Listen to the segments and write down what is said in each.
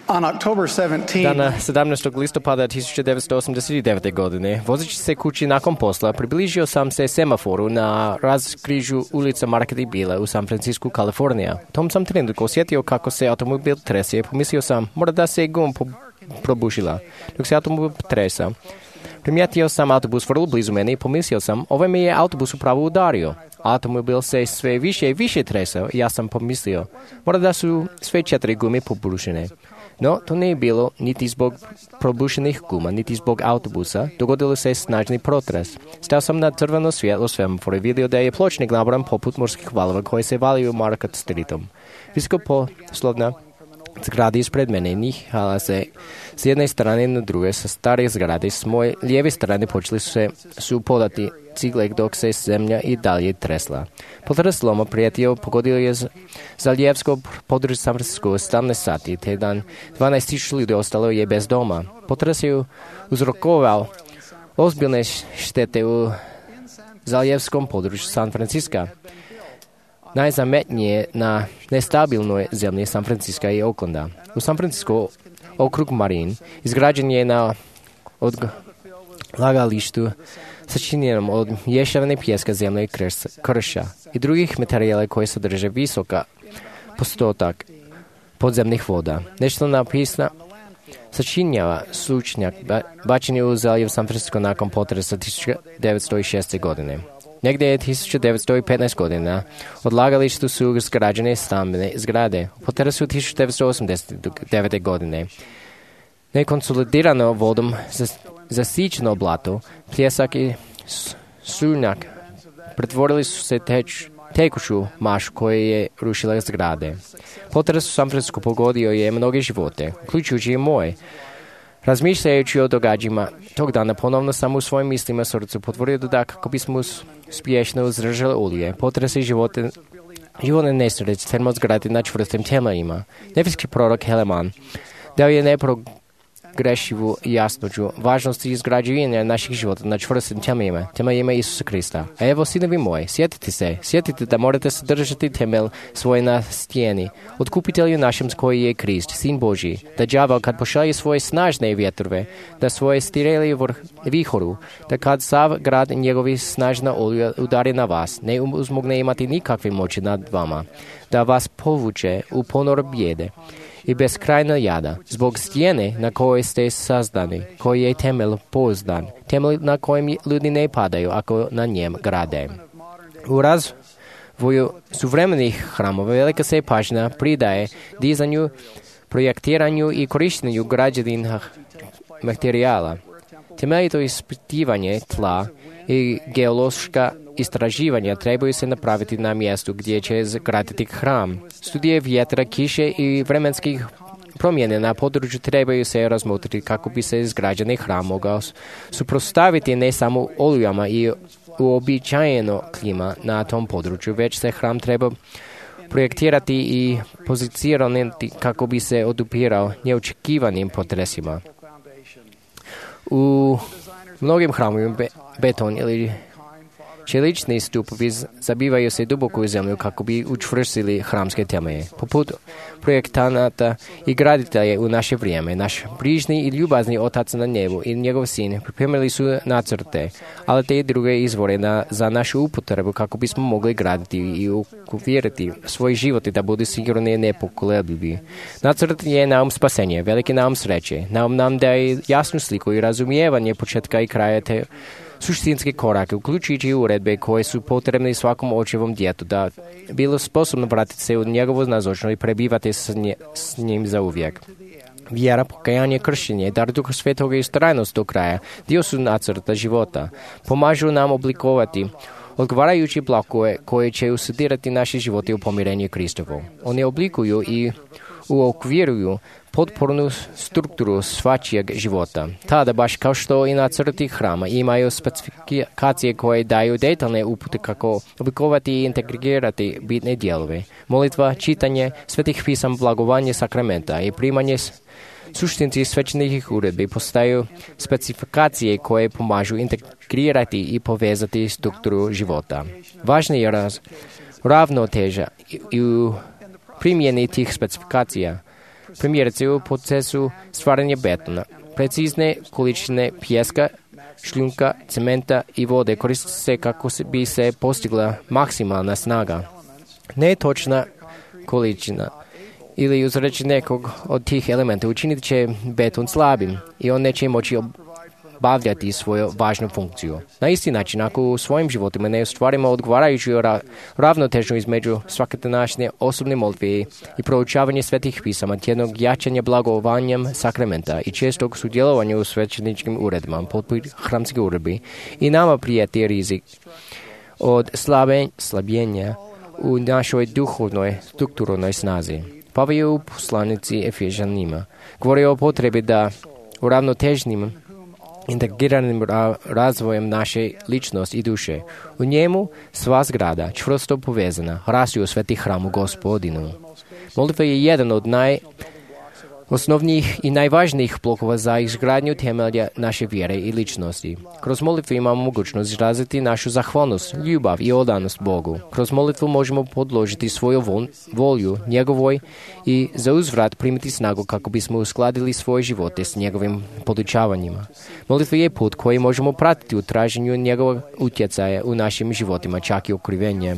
On October 17, Dana 17. listopada 1989. godine, vozeći se kući nakon posla, približio sam se semaforu na raskrižju ulica Market i Bile u San Francisku, Kalifornija. Tom sam trenutku osjetio kako se automobil trese. Pomislio sam, možda da se guma probušila. Dok se automobil tresa, primijetio sam autobus vrlo blizu mene i pomislio sam, ovaj mi je autobus upravo udario. Automobil se sve više i više tresao i ja sam pomislio, možda da su sve 4 gume pobušene. No, to nije bilo niti zbog probušenih guma, niti zbog autobusa. Dogodilo se snažni protres. Stao sam na crveno svjetlo semafora i vidio da je pločnik nabran poput morskih valova koji se valiju Market Streetom. Visokoposlovna zgrada ispred mene nihala se s jedne strane na druge sa stare zgrade. S moje lijeve strane počeli su podati cigle dok se zemlja i dalje tresla. Potres sloma prijetio pogodio je zaljevsko područje San Francisco 17 sati, te dan 12.000 ljudi ostalo je bez doma. Potres je uzrokovao ozbiljne štete u zaljevskom području San Francisco. Najzametnije na nestabilnoj zemlji San Francisco i Oaklanda. U San Francisco okrug Marin izgrađen je na odlagalištu sačinjenom od mješavine pijeska, zemlje i krša i drugih materijala koji sadrže visoka postotak podzemnih voda. Nešto napisna sačinjava slučnjak bačen je u zaljev San Francisco nakon potresa 1906. godine. Negdje je 1915 godina odlagalištu su izgrađene stambene zgrade. U potresu 1989. godine nekonsolidirano vodom zasićeno blato, pljesak i šljunak pretvorili su se tekuću mašu koja je rušila zgrade. Potres u San Francisco pogodio je mnoge živote, uključujući i moje. Razmišljajući o događajima tog dana, ponovno sam u svojim mislima srcu potvorio da kako bismo uspješno izdržali ulje, potrese životne nesreće trebamo zgraditi na čvrstim temeljima. Nebeský prorok Helaman dao je nepogrešivu jasnoću važnosti izgrađivanja naših života na čvrstim temeljima Isusa Krista. A evo, sinovi moji, sjetite da morate se držati temelj svoje na stijeni, otkupitelju našem koji je Krist, Sin Božji, da đaval kad pošalje svoje snažne vjetrove, da svoje stireli vihoru, da kad sav grad njegovi snažna oluja udari na vas, ne uzmogne imati nikakve moći nad vama, da vas povuče u ponor bijede i beskrajna jada, zbog stijene na kojoj ste sazdani, koji je temelj pouzdan, temelj na kojem ljudi ne padaju ako na njem grade. U razvoju suvremenih hramova velika se pažnja pridaje dizanju, projektiranju i korištenju građevinskih materijala. Temeljito ispitivanje tla i geološka istraživanja trebaju se napraviti na mjestu gdje će zgraditi hram. Studije vjetra, kiše i vremenskih promjene na području trebaju se razmotriti kako bi se izgrađeni hram mogao suprotstaviti ne samo olujama i uobičajeno klima na tom području, već se hram treba projektirati i pozicionirati kako bi se odupirao neočekivanim potresima. U mnogim hramovima beton ili čelični stupovi zabivaju se duboko u zemlju kako bi učvrstili hramske temelje. Poput projektanata i graditelja u naše vrijeme, naš brižni i ljubazni Otac na nebu i njegov Sin pripremili su nacrte, ali te druge izvore za našu upotrebu kako bismo mogli graditi i uvjeriti svoj život i da budu sigurni i nepokolebljivi. Nacrt je naum spasenje, veliki naum sreće, naum nam daje jasnu sliku i razumijevanje početka i kraja te suštinske korake, uključujući uredbe koje su potrebne svakom očevom djetu da bilo sposobno vratiti se u njegovu nazočnost i prebivati s njim za uvijek. Vjera, pokajanje, kršenje, dar Duha Svetoga i ustrajnost do kraja dio su nacrta života. Pomažu nam oblikovati odgovarajući blokove koje će usudirati naše živote u pomirenju Kristovu. Oni oblikuju i uokviruju potpornu strukturu svačijeg života. Tada, baš kao što i nacrti hrama, imaju specifikacije koje daju detaljne upute kako oblikovati i integrirati bitne dijelove. Molitva, čitanje svetih pisam, blagovanje sakramenta i primanje suštinci svećenih uredbi postaju specifikacije koje pomažu integrirati i povezati strukturu života. Važna je ravnoteža i u primjeni tih specifikacija. Primjerice u procesu stvaranja betona. Precizne količine pijeska, šljunka, cementa i vode koriste se kako bi se postigla maksimalna snaga. Netočna količina ili uzreći nekog od tih elementa učinit će beton slabim i on neće moći obavljati svoju važnu funkciju. Na isti način, ako u svojim životima ne ostvarimo odgovarajuću ravnotežu između svakodanašnje osobne molitve i proučavanje svetih pisama, tjednog jačanja blagovanjem sakramenta i čestog sudjelovanja u svećeničkim uredima, poput hramskih uredbi, i nama prijeti rizik od slabljenja u našoj duhovnoj strukturnoj snazi. Pavel je u poslanici Efežanima govorio o potrebi da uravnoteženim integriranim razvojem naše ličnosti i duše. U njemu sva zgrada, čvrsto povezana, rasti u sveti hramu Gospodinu. Molitva je jedan od najosnovnijih i najvažnijih blokova za izgradnju temelja naše vjere i ličnosti. Kroz molitvu imamo mogućnost izraziti našu zahvalnost, ljubav i odanost Bogu. Kroz molitvu možemo podložiti svoju volju njegovoj i za uzvrat primiti snagu kako bismo uskladili svoje živote s njegovim podučavanjima. Molitva je put koji možemo pratiti u traženju njegovog utjecaja u našim životima, čak i okrivenje.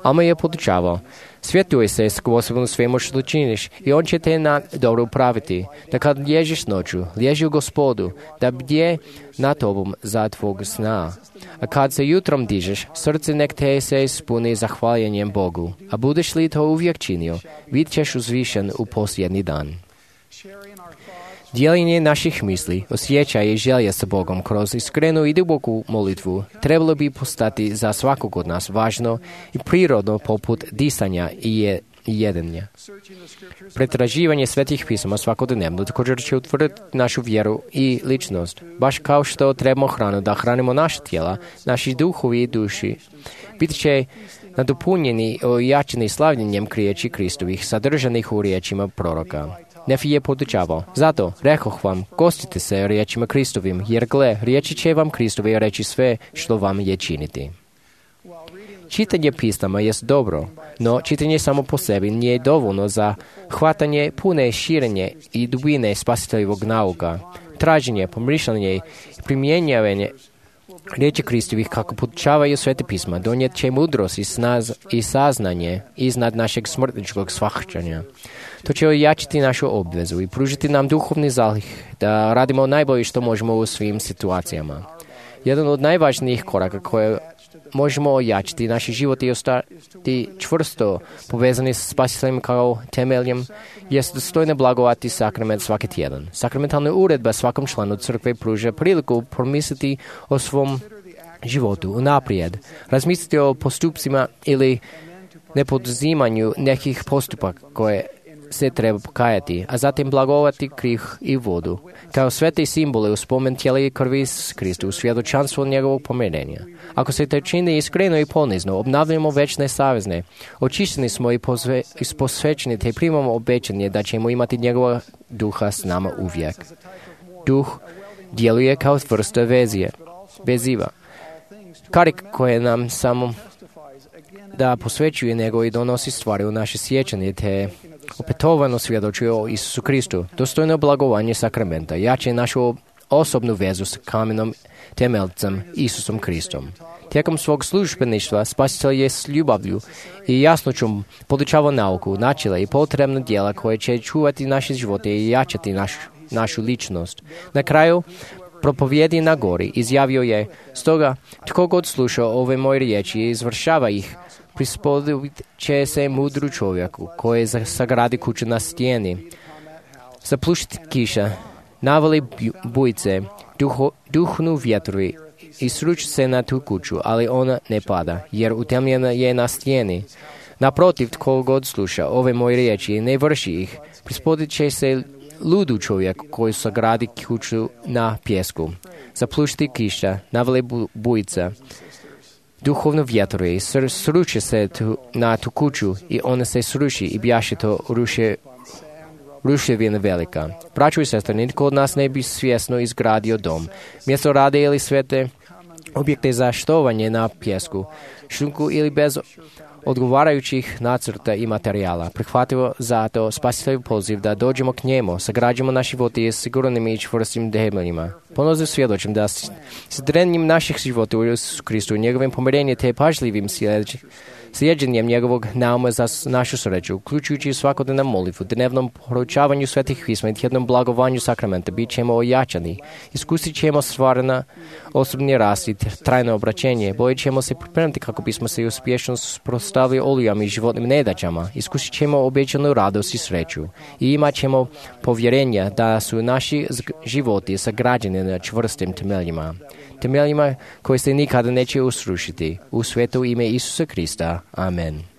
Alma je podučavao: svjetuj se s Gospodom svemu što činiš i on će te na dobro upraviti. Da kad lježiš noću, lježi u Gospodu, da bdje na tobom za tvog sna. A kad se jutrom dižeš, srce nek te se ispuni zahvaljenjem Bogu. A budeš li to uvijek činio, bit ćeš uzvišen u posljednji dan. Dijeljenje naših misli, osjećaja i želja sa Bogom kroz iskrenu i duboku molitvu trebalo bi postati za svakog od nas važno i prirodno poput disanja i jedenja. Pretraživanje svetih pisama svakodnevno također će utvrditi našu vjeru i ličnost. Baš kao što trebamo hranu da hranimo naša tijela, naši duhovi i duši bit će nadopunjeni i ojačeni slavljenjem riječi Kristovih sadržanih u riječima proroka. Nefi je podučavao: zato rekoh vam, gostite se riječima Kristovim, jer gle, riječi će vam Kristovi reći sve što vam je činiti. Čitanje pisama jest dobro, no čitanje samo po sebi nije dovoljno za hvatanje pune širenje i dubine spasiteljevog nauka. Traženje, pomišljanje i primjenjavanje riječi Kristovih kako podučavaju svete pisma donijet će mudrost i saznanje iznad našeg smrtničkog shvaćanja. To će ojačiti našu obvezu i pružiti nam duhovni zalih da radimo najbolje što možemo u svim situacijama. Jedan od najvažnijih koraka koje možemo ojačiti naš život i ostati čvrsto povezani s spasiteljem kao temeljem jest dostojno blagovati sakrament svaki tjedan. Sakramentalna uredba svakom članu crkve pruža priliku promisliti o svom životu unaprijed, razmisliti o postupcima ili nepoduzimanju nekih postupaka koje se treba pokajati, a zatim blagovati krih i vodu, kao svete simbole u spomen tijela i krvi Kristu, u svjedočanstvo njegovog pomirenja. Ako se to čini iskreno i ponizno, obnavljamo večne savezne, očišćeni smo i posvećeni, te primamo obećanje da ćemo imati njegova duha s nama uvijek. Duh djeluje kao vrsta veziva, karik koje nam samo da posvećuje nego i donosi stvari u naše sjećanje, te opetovano svjedočuje o Isusu Kristu. Dostojno blagovanje sakramenta jače našu osobnu vezu s kamenom temeljcem Isusom Kristom. Tijekom svog službeništva Spasitelj je s ljubavlju i jasnoćom podučavao nauku, načela i potrebna djela koje će čuvati naše živote i jačati našu ličnost. Na kraju propovjedi na gori izjavio je: stoga tko god sluša ove moje riječi i izvršava ih, prispodobit će se mudru čovjeku koji sagradi kuću na stijeni. Zapljušti kiša, navali bujice, duhnu vjetrovi i sruči se na tu kuću, ali ona ne pada, jer utemljena je na stijeni. Naprotiv, tko god sluša ove moje riječi i ne vrši ih, prispodobit će se ludu čovjek koji sagradi kuću na pjesku. Zapljušti kiša, navali bujica, duhovno vjetrovi, sruče se na tu kuću i ona se sruši i bjaše to ruševina velika. Braćo i sestre, nitko od nas ne bi svjesno izgradio dom, mjesto rade ili svete objekte za štovanje na pjesku, šljunku ili bez odgovarajućih nacrta i materijala. Prihvatimo zato spasitelju poziv da dođemo k njemu, sagrađimo naše živote sigurnim i čvrstim temeljima. Ponosno svjedočim da s drenjem naših života u Isusu Kristu, njegovim pomirenjem te pažljivim slijedženjem njegovog nauma za našu sreću, uključujući svakodnevnu molitvu, dnevnom proučavanju svetih pisma i tjednom blagovanju sakramenta, bit ćemo ojačani, iskusit ćemo stvarna osobni rast i trajno obraćenje, bojit ćemo se pripremiti kako bismo se uspješno suprotstavili olujama i životnim nedaćama, iskusit ćemo obećanu radost i sreću i imat ćemo povjerenja da su naši životi sagrađeni na čvrstim temeljima koji se nikada neće usrušiti. U sveto ime Isusa Krista. Amen.